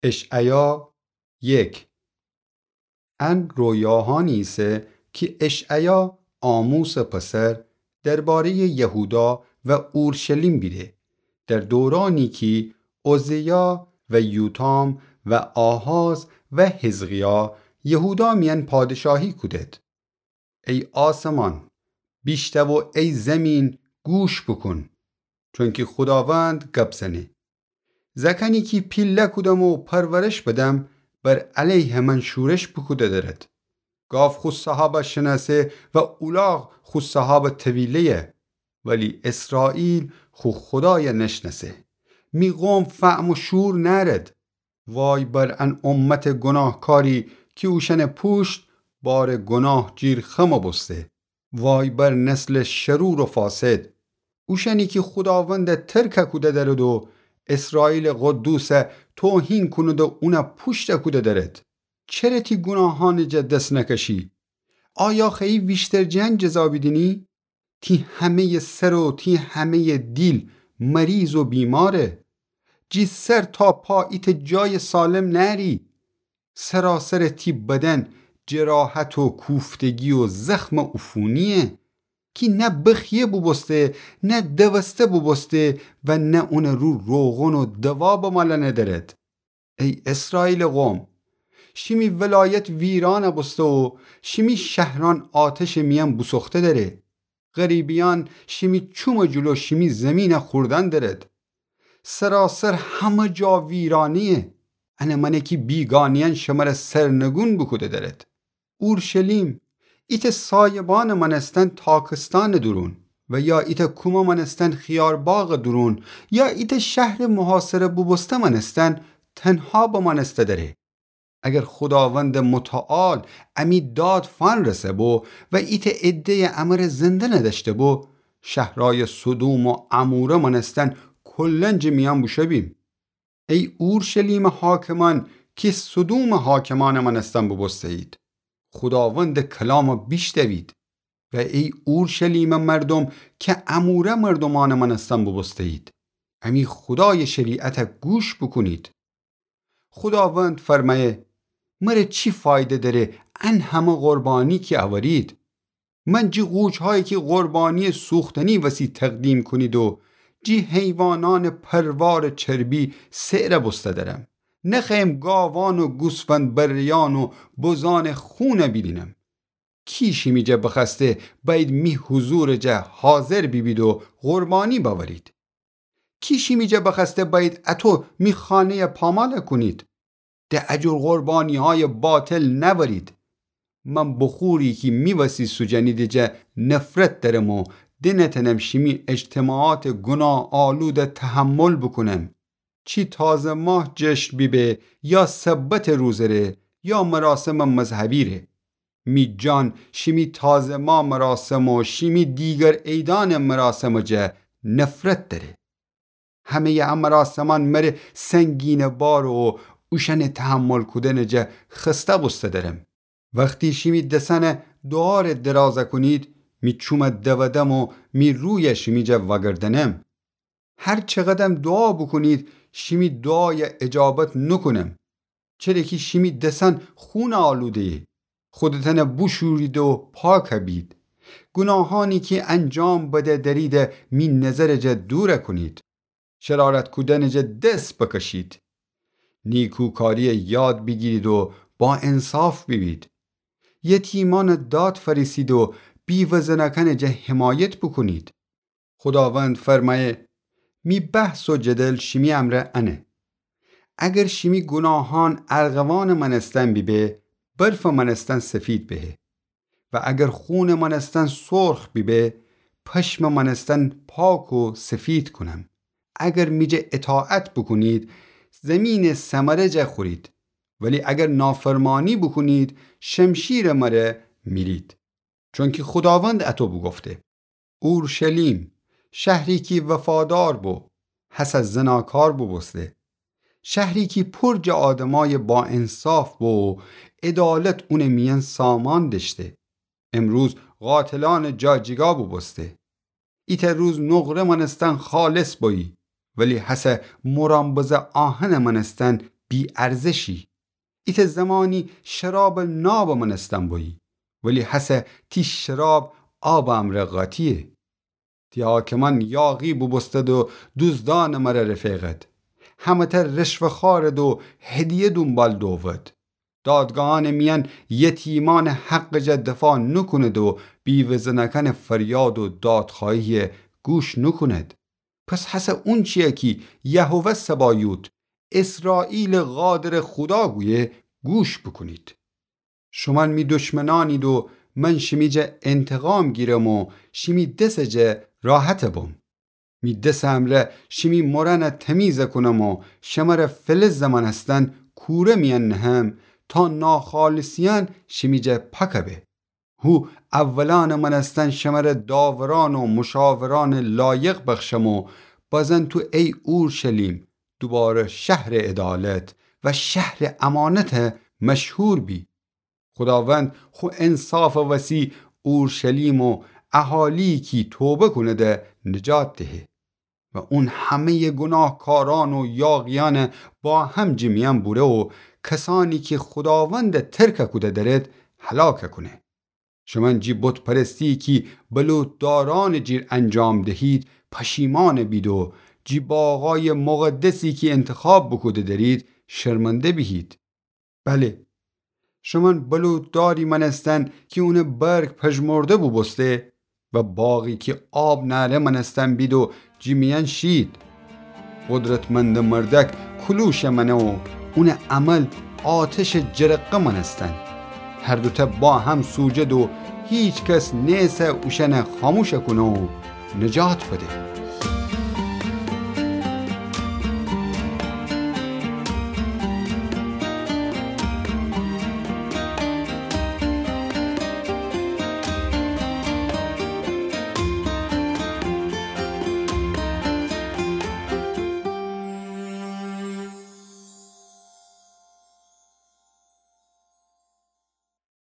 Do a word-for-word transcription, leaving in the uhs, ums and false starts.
اشعیا یک. ان رویاهانی ایسه کی اشعیا آموسٚ پسر درباره‌یٚ یهودا و اورشلیم بیده، در دورانی کی عزیا و یوتام و آهاز و حزقیا یهودا میأن پادشاهی کودد. ای آسمان، بیشتو و ای زیمین، گوش بوکون، چونکی خوداوند گب زنه. زأکأنی کی پیله کودم و پرورش بدم، بر علیه من شورش بوکوده درد. گاو خو صاحابَ شنأسه و اولاغ خو صاحابٚ طویله‌یه، ولی اسرائیل خو خودایَ نشنأسه. می قوم فهم و شعور نأرد. وای بر ان امتٚ گوناهکاری کی اوشأنٚ پوشت بارٚ گوناه جیر خم بوسته. وای بر نسلٚ شرور و فاسد، اوشأنی کی خوداوندَ ترک کوده درد و اسرائیلٚ قدوسَ توهین کونید و اونَ پوشت کوده درد. چره تی گوناهأنٚ جا دس نکشی؟ آیا خوأیی ویشتر جٚه ان جزا بیدینی؟ تی همه‌یٚ سر و تی همه‌یٚ دیل مریض و بیماره. جٚه سر تا پا ایتأ جایٚ سالم نأری. سراسرٚ تی بدن جراحت و کوفتگی و زخمٚ عفونیه کی نه بخیه بوبوسته، نه دوسته بوبوسته و نه اونٚ رو روغن و دوا بمالأنه درد. ای اسرائیلٚ قوم، شیمی ولایت ویران بوسته و شیمی شهرأن آتشٚ میأن بوسوخته دره. غریبیأن شیمی چومٚ جلو شیمی زیمینَ خوردن درد. سراسر همه جا ویرانیه. انه مأنه کی بیگانه‌یأن شمره سرنگون بوکوده درد. اورشلیم، ایتأ سایبانٚ مأنستن تاکستانٚ دورون و یا ایتأ کومه مأنستن خیارباغٚ دورون یا ایتأ شهرٚ محاصره بوبوسته مأنستن تنها بمأنسته دره. اگر خوداوندٚ متعال امی داد فأنرسه بو و ایتأ عده‌یٚ امره زنده ندأشته بو، شهرأیٚ سدوم و عموره مأنستن کلاً جٚه میأن بوشو بیم. ای اورشلیمٚ حاکمأن کی سدومٚ حاکمأنٚ مأنستن بوبوسته‌یید، خوداوندٚ کلامَ بیشنوید. و ای اورشلیمٚ مردوم کی عموره مردومأنٚ مأنستن بوبوسته‌یید، امی خودایٚ شریعتَ گوش بوکونید. خوداوند فرمأیه: مره چی فایده دأره ان همه قربانی کی أورید؟ من جٚه قوچهایی کی قربانییٚ سوختنی وسی تقدیم کونید و جٚه حیوانأنٚ پروارٚ چربی سئرَ بوسته دأرم. نخوأیم گاوأن و گوسفند بره‌یأن و بزأنٚ خونَ بیدینم. کی شیمی جا بخوأسته بأیید می حضورٚ جا حاضر بیبید و قربانی بأورید؟ کی شیمی جا بخوأسته بأیید اطو می خانه‌یَ پامال کونید؟ ده اجور قربانیهایٚ باطل نأورید. من بخوری کی می وسی سوجنیدٚ جا نفرت دأرم و دنتأنم شیمی اجتماعاتٚ گوناه‌آلودَ تحمل بوکونم. چی تازه‌ماه جشن بیبه یا سبتٚ روزٚ ره یا مراسمٚ مذهبی ره. می جان شیمی تازه‌ماه مراسم و شیمی دیگر عیدأنٚ مراسمٚ جا نفرت دأره. همه‌یٚ ا مراسمأن مره سنگینٚ بار و اوشأنٚ تحمل کودنٚ جا خسته بوسته دأرم. وختی شیمی دسأنَ دوعارَ درازَ کونید، می چومَ دودم و می رویَ شیمی جا وأگردنم. هر چقدرم دوعا بوکونید، شیمی دوعایَ اجابت نوکونم. چره کی شیمی دسأن خونٚ آلوده‌یه. خودتأنَ بوشورید و پاک بید. گوناهأنی کی انجام بده دأریدَ می نظرٚ جا دورَ کونید. شرارت کودنٚ جا دس بکشید. نیکوکاریَ یاد بیگیرید و باانصاف بیبید. یتیمأنٚ داد فأرسید و بیوه زنأکأنٚ جا حمایت بوکونید. خوداوند فرمأیه: می بحث و جدل شیمی امرأ انه. اگر شیمی گوناهأن ارغوانٚ مأنستن بیبه، برفٚ مأنستن سفید بهه. و اگر خونٚ مأنستن سرخ بیبه، پشمٚ مأنستن پاک و سفید کونم. اگر می جا اطاعت بوکونید، زیمینٚ ثمرٚ جا خورید. ولی اگر نافرمانی بوکونید، شمشیرٚ مره میرید. چونکی خوداوند اطو بوگفته: اورشلیم، شهری کی وفادار بو، هسه زناکار بوبوسته. شهری کی پر جٚه آدمأیٚ باانصاف بو و عدالت اونٚ میأن سامان دأشته. امروز قاتلأنٚ جا جیگا بوبوسته. ایتأ روز نقره مأنستن خالص بویی، ولی هسه مرامبزٚ آهنٚ مأنستن بی‌ارزشی. ایتأ زمانی شرابٚ نابٚ مأنستن بویی، ولی هسه تی شراب آبٚ امرأ قاطییه. تی حاکمأن یاغی بوبوستد و دوزدأنٚ مره رفیقد. همه‌تأ رشوه‌خوأرد و هدیه دونبال دوود. دادگاهأنٚ میأن یتیمأنٚ حقٚ جا دفاع نوکوند و بیوه‌زنأکأنٚ فریاد و دادخوأهیی گوش نوکوند. پس هسه اونچیی کی یهوه سبایوت، اسرائیلٚ قادرٚ خودا گویه، گوش بوکونید. شومأن می دشمنأنید و من شیمی جا انتقام گیرم و شیمی دسٚ جا راحت بوم. می دسٚ امرأ شیمی مرأنَ تمیز کونم و شمره فلزٚ مأنستن کوره میأن نهم، تا ناخالصیأن شیمی جا پاک به. هو اولأنٚ مأنستن شمره داورأن و مشاورأنٚ لایق بخشم و بازن تو ای اورشلیم دوباره شهرٚ عدالت و شهرٚ امانت مشهور بی. خوداوند خو انصافٚ وسی اورشلیم و اهالیی کی توبه کونده نجات دهه و اون همه‌یٚ گوناهکارأن و یاغیأنَ با هم جٚه میأن بوره و کسأنی کی خوداوندَ ترک کوده درد هلاک کونه. شومأن جٚه بت‌پرستیی کی بلوطدارأنٚ جیر انجام دهید پشیمأن بید و جٚه باغأیٚ مقدسی کی انتخاب بوکوده درید شرمنده بیهید. بله، شومأن بلوطداری مأنستن کی اونٚ برگ پژمرده بوبوسته و باغی کی آب نأره مأنستن بید و جٚه میأن شید. قدرتمندٚ مردأک کلوشٚ مأنه و اونٚ عمل آتشٚ جرقه مأنستن. هر دوتأ با هم سوجد و هیکس نیسه اوشأنَ خاموش کونه و نجات بده.